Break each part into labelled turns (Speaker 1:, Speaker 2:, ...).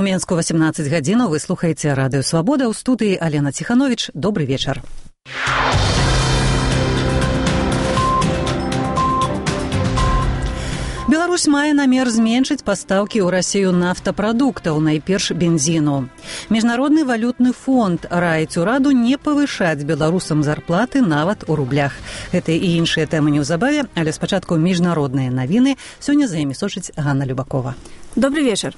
Speaker 1: У Менску 18 гадзінаў вы слухаеце радыё Свабода, ў студыі Алена Ціхановіч. Добры вечар. Беларусь мае намер зменшыць пастаўкі ў Расію нафтапрадуктаў, найперш бензіну. Міжнародны валютны фонд раіць ураду не павышаць беларусам зарплаты нават у рублях. Гэта і іншыя тэмы неўзабаве, але спачатку міжнародныя навіны. Сёння за імі сочыць Ганна Любакова.
Speaker 2: Добрый вечар.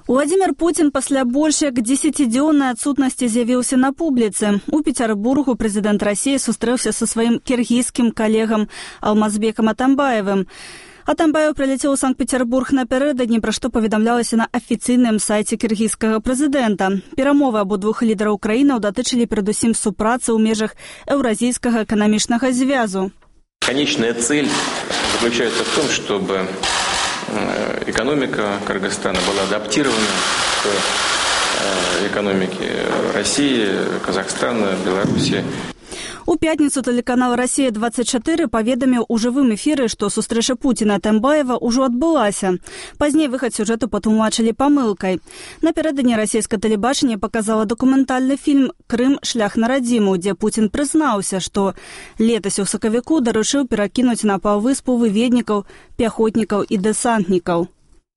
Speaker 2: Владимир Путин пасля больш як 10-дзённай адсутнасці з'явіўся на публіцы. У Петербургу прэзідэнт Расіі сустрэўся са сваім кіргізскім калегам Алмазбекам Атамбаевым. Атамбаев прилетел в Санкт-Петербург напярэдадні, пра што паведамлялася на афіцыйным сайце кіргізскага прэзідэнта. Перамовы абодвух лідараў краінаў датычылі перадусім супрацы ў межах Еўразійскага эканамічнага звязу.
Speaker 3: Конечная цель заключается в том, чтобы экономика Кыргызстана была адаптирована к экономике России, Казахстана, Беларуси.
Speaker 2: У пятніцу тэлеканал «Россия-24» паведаміў у жывым эфіры, што сустрэча Пуціна і Атамбаева ўжо адбылася. Пазней выхад сюжэту патлумачылі памылкай. Напярэдадні расійскае тэлебачанне паказала дакументальны фільм «Крым. Шлях на радзіму», дзе Пуцін прызнаўся, што летась у сакавіку даручыў перакінуць на паўвыспу выведнікаў, пяхотнікаў і дэсантнікаў.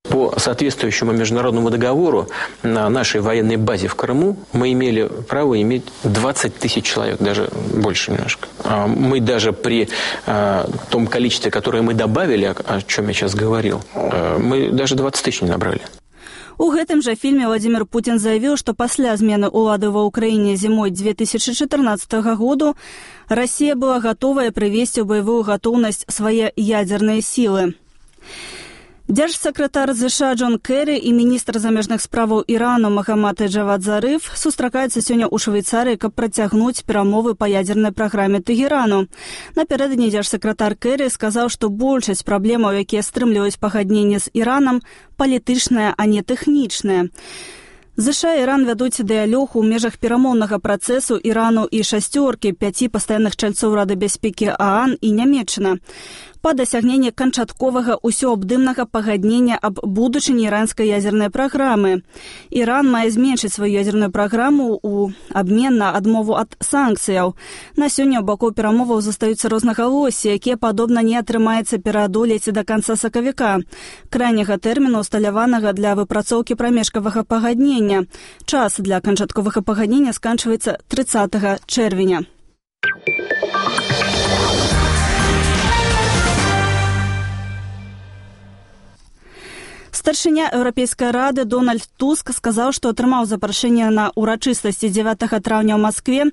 Speaker 4: По соответствующему международному договору на нашей военной базе в Крыму мы имели право иметь 20 тысяч человек, даже больше немножко. Мы даже при том количестве, которое мы добавили, о чем я сейчас говорил, мы даже 20 тысяч не набрали.
Speaker 2: У гэтым жа фільме Владимир Путин заявіў, што пасля змены ўлады ва ўкраіне зімой 2014 году Россия была готовая прывесці ў баявую гатоўнасць свае ядзерныя сілы. Дзяржсакратар США Джон Керри і міністр замежных справаў Ірану Магамад Джавад Зарыф сустракаюцца сёння ў Швейцарыі, каб працягнуць перамовы па ядзернай праграме Тэгэрану. Напярэдадні дзяржсакратар Керри сказаў, што большасць праблемаў, якія стрымліваюць пагадненне з Іранам, палітычная, а не тэхнічная. США і Іран вядуць дыялог у межах перамоўнага працэсу Ірану і шасцёркі 5 пастаянных чальцоў Рады бяспекі ААН і Нямецчына па дасягненні канчатковага усёабдымнага пагаднення аб будучыні іранскай ядзернай праграмы. Іран мае зменшыць сваю ядзерную праграму ў абмен на адмову ад санкцыяў. На сёння ў бакоў перамоваў застаюцца рознагалоссі, якія, падобна, не атрымаецца пераадолець да канца сакавіка, крайняга тэрміну, усталяванага для выпрацоўкі прамежкавага пагаднення. Час для канчатковага пагаднення сканчваецца 30 чэрвеня. Старшыня Еўрапейскай рады Дональд Туск сказаў, што атрымаў запрашэнне на урачыстасці 9 траўня ў Маскве,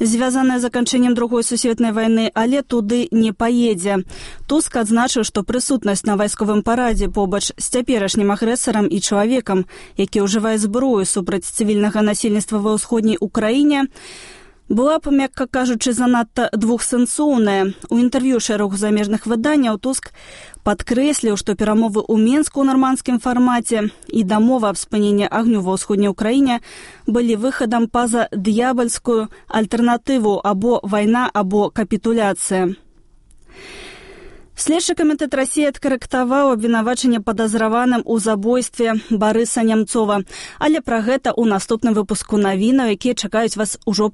Speaker 2: звязанае з заканчэннем Другой сусветнай вайны, але туды не паедзе. Туск адзначыў, што прысутнасць на вайсковым парадзе побач з цяперашнім агрэсарам і чалавекам, які ўжывае зброю супраць цывільнага насельніцтва ва ўсходняй Украіне, была б, мякка кажучы, занадта двухсэнсоўная. У інтэрв'ю шэрагу замежных выданняў Туск падкрэсліў, што перамовы ў Менску ў нармандскім фармаце і дамова аб спыненні агню ва ўсходняй Украіне былі выхадам па-за д'ябальскую альтэрнатыву або вайна, або капітуляцыя. Следчы камітэт Расіі адкарэктаваў абвінавачанне падазраваным у забойстве Барыса Нямцова. Але пра гэта ў наступным выпуску навінаў, якія чакаюць вас ужо